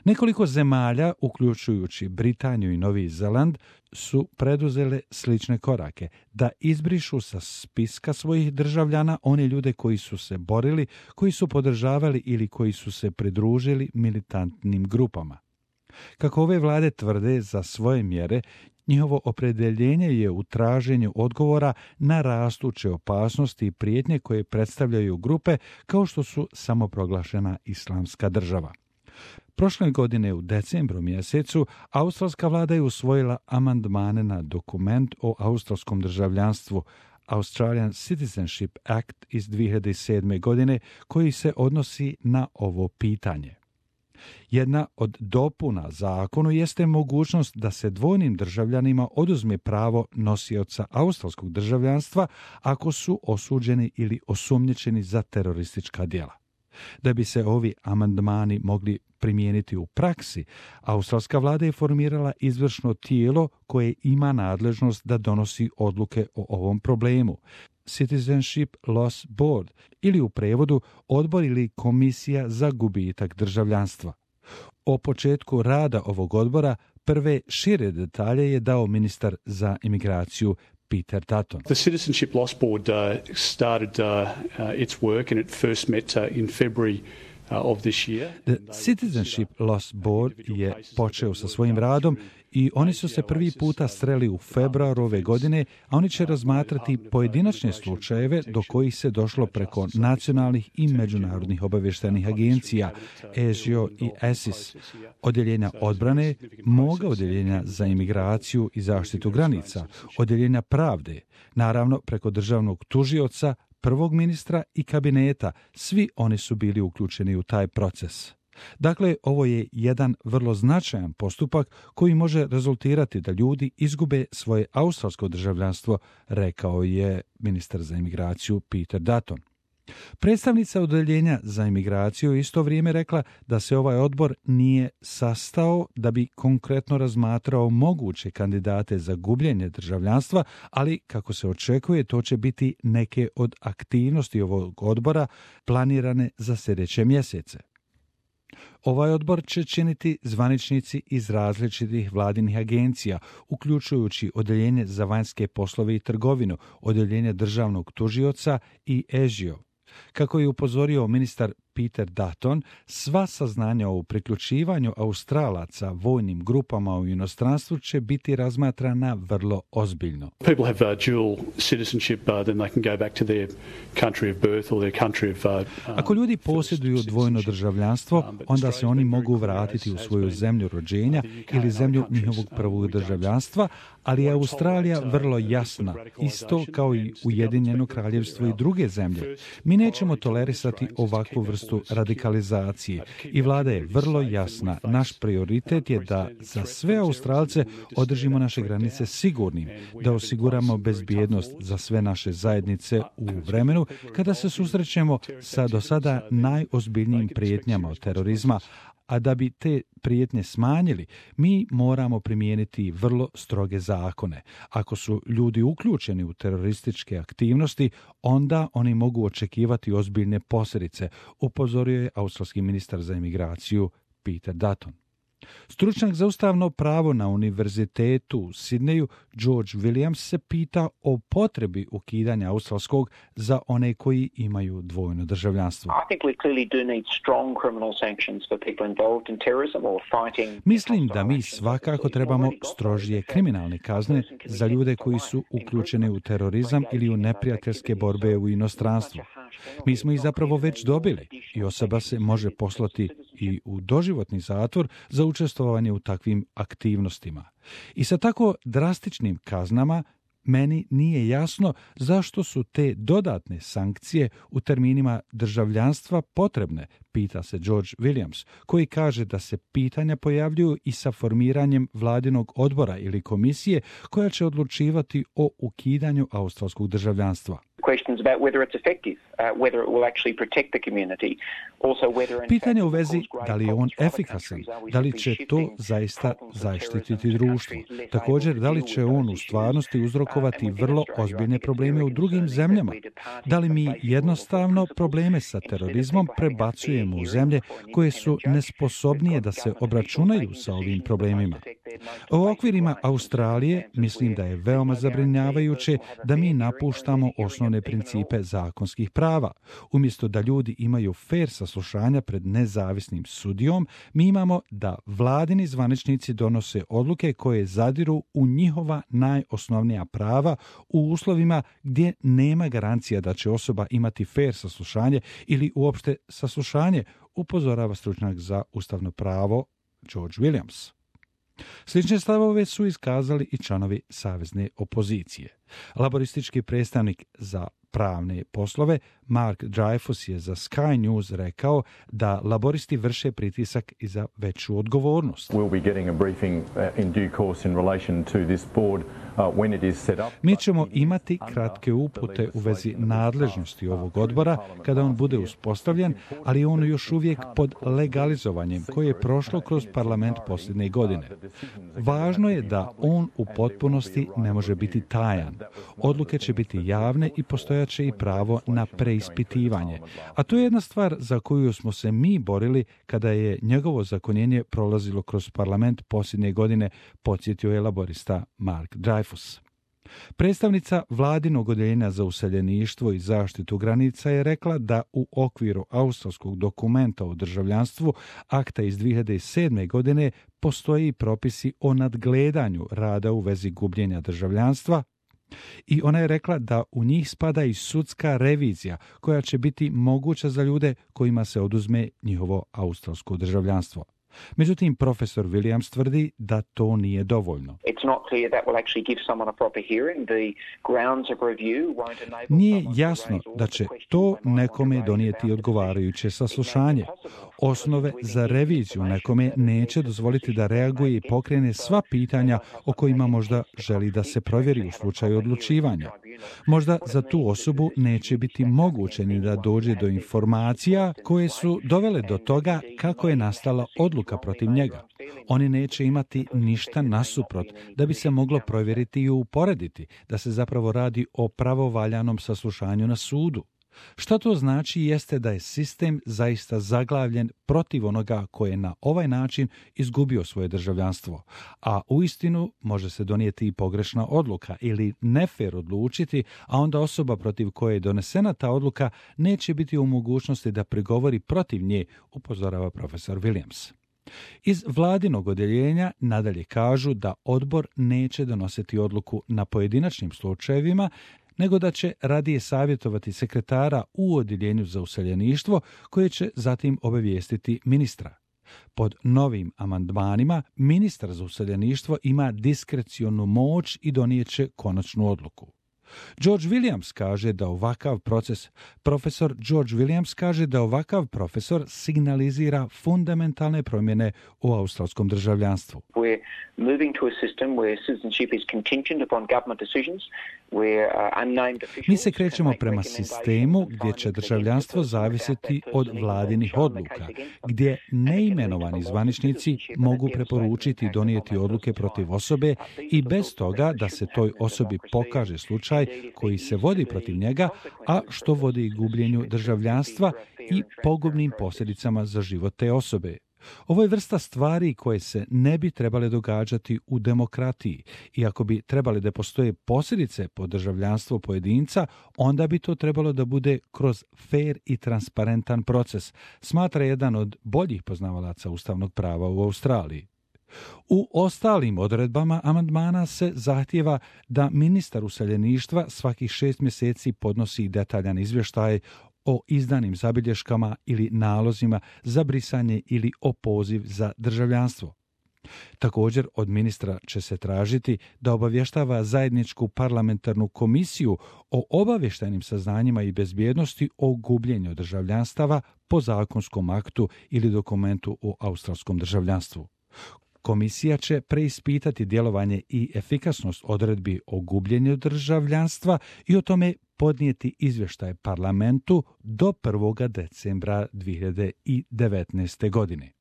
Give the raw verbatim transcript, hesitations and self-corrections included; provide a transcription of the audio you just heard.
Nekoliko zemalja, uključujući Britaniju i Novi Zeland, su preduzele slične korake, da izbrišu sa spiska svojih državljana one ljude koji su se borili, koji su podržavali ili koji su se pridružili militantnim grupama. Kako ove vlade tvrde za svoje mjere, njihovo opredjeljenje je u traženju odgovora na rastuće opasnosti i prijetnje koje predstavljaju grupe kao što su samoproglašena Islamska država. Prošle godine u decembru mjesecu australska vlada je usvojila amandmane na dokument o australskom državljanstvu Australian Citizenship Act iz dvije hiljade sedme. godine koji se odnosi na ovo pitanje. Jedna od dopuna zakonu jeste mogućnost da se dvojnim državljanima oduzme pravo nosioca australskog državljanstva ako su osuđeni ili osumnjičeni za teroristička djela. Da bi se ovi amandmani mogli primijeniti u praksi, australska vlada je formirala izvršno tijelo koje ima nadležnost da donosi odluke o ovom problemu. Citizenship Loss Board ili u prevodu odbor ili komisija za gubitak državljanstva. O početku rada ovog odbora prve šire detalje je dao ministar za imigraciju Peter Dutton. The Citizenship Loss Board uh, started uh, uh, its work and it first met uh, in February of this year. The Citizenship Loss Board je počeo sa svojim radom i oni su se prvi puta sreli u februaru ove godine, a oni će razmatrati pojedinačne slučajeve do kojih se došlo preko nacionalnih i međunarodnih obavještajnih agencija, A S I O i A S I S, odjeljenja odbrane, moga odjeljenja za imigraciju i zaštitu granica, odjeljenja pravde, naravno preko državnog tužioca, prvog ministra i kabineta, svi oni su bili uključeni u taj proces. Dakle, ovo je jedan vrlo značajan postupak koji može rezultirati da ljudi izgube svoje australsko državljanstvo, rekao je ministar za imigraciju Peter Dutton. Predstavnica odjeljenja za imigraciju isto vrijeme rekla da se ovaj odbor nije sastao da bi konkretno razmatrao moguće kandidate za gubljenje državljanstva, ali kako se očekuje to će biti neke od aktivnosti ovog odbora planirane za sljedeće mjesece. Ovaj odbor će činiti zvaničnici iz različitih vladinih agencija, uključujući odjeljenje za vanjske poslove i trgovinu, odjeljenje državnog tužioca i A S I O. Kako je upozorio ministar Peter Dutton, sva saznanja o priključivanju Australaca vojnim grupama u inostranstvu će biti razmatrana vrlo ozbiljno. People have uh, dual citizenship, uh, then they can go back to their country of birth or their country of uh, Ako ljudi posjeduju dvojno državljanstvo, onda se oni mogu vratiti u svoju zemlju rođenja ili zemlju njihovog prvog državljanstva, ali je Australija vrlo jasna, isto kao i Ujedinjeno kraljevstvo i druge zemlje. Mi nećemo tolerisati ovakvu vrstu radikalizacije i vlada je vrlo jasna. Naš prioritet je da za sve Australce održimo naše granice sigurnim, da osiguramo bezbjednost za sve naše zajednice u vremenu kada se susrećemo sa do sada najozbiljnijim prijetnjama od terorizma, a da bi te prijetnje smanjili, mi moramo primijeniti vrlo stroge zakone. Ako su ljudi uključeni u terorističke aktivnosti, onda oni mogu očekivati ozbiljne posljedice, upozorio je australski ministar za imigraciju Peter Dutton. Stručnjak za ustavno pravo na univerzitetu u Sidneju, George Williams, se pita o potrebi ukidanja australskog za one koji imaju dvojno državljanstvo. Mislim da mi svakako trebamo strožije kriminalne kazne za ljude koji su uključeni u terorizam ili u neprijateljske borbe u inostranstvu. Mi smo ih zapravo već dobili i osoba se može poslati i u doživotni zatvor za učestvovanje u takvim aktivnostima. I sa tako drastičnim kaznama meni nije jasno zašto su te dodatne sankcije u terminima državljanstva potrebne, pita se George Williams, koji kaže da se pitanja pojavljuju i sa formiranjem vladinog odbora ili komisije koja će odlučivati o ukidanju australskog državljanstva. Pitanje u vezi da li je on efikasan, da li će to zaista zaštititi društvo. Također, da li će on u stvarnosti uzrokovati vrlo ozbiljne probleme u drugim zemljama? Da li mi jednostavno probleme sa terorizmom prebacujemo u zemlje koje su nesposobnije da se obračunaju sa ovim problemima? U okvirima Australije mislim da je veoma zabrinjavajuće da mi napuštamo osnovne principe zakonskih prava. Umjesto da ljudi imaju fer saslušanja pred nezavisnim sudijom, mi imamo da vladini zvaničnici donose odluke koje zadiru u njihova najosnovnija prava u uslovima gdje nema garancija da će osoba imati fer saslušanje ili uopšte saslušanje, upozorava stručnjak za ustavno pravo George Williams. Slične stavove su iskazali i članovi savezne opozicije. Laboristički predstavnik za pravne poslove Mark Dreyfus je za Sky News rekao da laboristi vrše pritisak i za veću odgovornost. Mi ćemo imati kratke upute u vezi nadležnosti ovog odbora kada on bude uspostavljen, ali on još uvijek pod legalizovanjem koje je prošlo kroz parlament posljednje godine. Važno je da on u potpunosti ne može biti tajan. Odluke će biti javne i postojaće i pravo na preispitivanje. A to je jedna stvar za koju smo se mi borili kada je njegovo zakonjenje prolazilo kroz parlament posljednje godine, podsjetio je laborista Mark Dreyfus. Predstavnica vladinog odjeljenja za useljeništvo i zaštitu granica je rekla da u okviru australskog dokumenta o državljanstvu, akta iz dvije hiljade sedme. godine, postoji propisi o nadgledanju rada u vezi gubljenja državljanstva, i ona je rekla da u njih spada i sudska revizija koja će biti moguća za ljude kojima se oduzme njihovo australsko državljanstvo. Međutim, profesor Williams tvrdi da to nije dovoljno. Nije jasno da će to nekome donijeti odgovarajuće saslušanje. Osnove za reviziju nekome neće dozvoliti da reaguje i pokrene sva pitanja o kojima možda želi da se provjeri u slučaju odlučivanja. Možda za tu osobu neće biti moguće ni da dođe do informacija koje su dovele do toga kako je nastala odluka protiv njega. Oni neće imati ništa nasuprot da bi se moglo provjeriti i uporediti da se zapravo radi o pravovaljanom saslušanju na sudu. Što to znači jeste da je sistem zaista zaglavljen protiv onoga koje je na ovaj način izgubio svoje državljanstvo, a uistinu može se donijeti i pogrešna odluka ili nefer odlučiti, a onda osoba protiv koje je donesena ta odluka neće biti u mogućnosti da prigovori protiv nje, upozorava profesor Williams. Iz vladinog odjeljenja nadalje kažu da odbor neće donositi odluku na pojedinačnim slučajevima, nego da će radije savjetovati sekretara u odjeljenju za useljeništvo koje će zatim obavijestiti ministra. Pod novim amandmanima ministar za useljeništvo ima diskrecionu moć i donijeće konačnu odluku. George Williams kaže da ovakav proces, profesor George Williams kaže da ovakav profesor signalizira fundamentalne promjene u australskom državljanstvu. We're moving to a system where citizenship is contingent upon government decisions, where uh, unnamed officials... Mi se krećemo prema sistemu gdje će državljanstvo zavisiti od vladinih odluka, gdje neimenovani zvaničnici mogu preporučiti i donijeti odluke protiv osobe i bez toga da se toj osobi pokaže slučaj koji se vodi protiv njega, a što vodi gubljenju državljanstva i pogubnim posljedicama za život te osobe. Ovo je vrsta stvari koje se ne bi trebale događati u demokratiji, i ako bi trebali da postoje posljedice po državljanstvo pojedinca, onda bi to trebalo da bude kroz fair i transparentan proces, smatra jedan od boljih poznavalaca ustavnog prava u Australiji. U ostalim odredbama amandmana se zahtijeva da ministar useljeništva svakih šest mjeseci podnosi detaljan izvještaj o izdanim zabilješkama ili nalozima za brisanje ili opoziv za državljanstvo. Također od ministra će se tražiti da obavještava zajedničku parlamentarnu komisiju o obavještajnim saznanjima i bezbjednosti o gubljenju državljanstava po zakonskom aktu ili dokumentu o australskom državljanstvu. Komisija će preispitati djelovanje i efikasnost odredbi o gubljenju državljanstva i o tome podnijeti izvještaj parlamentu do prvog decembra dvije hiljade devetnaeste. godine.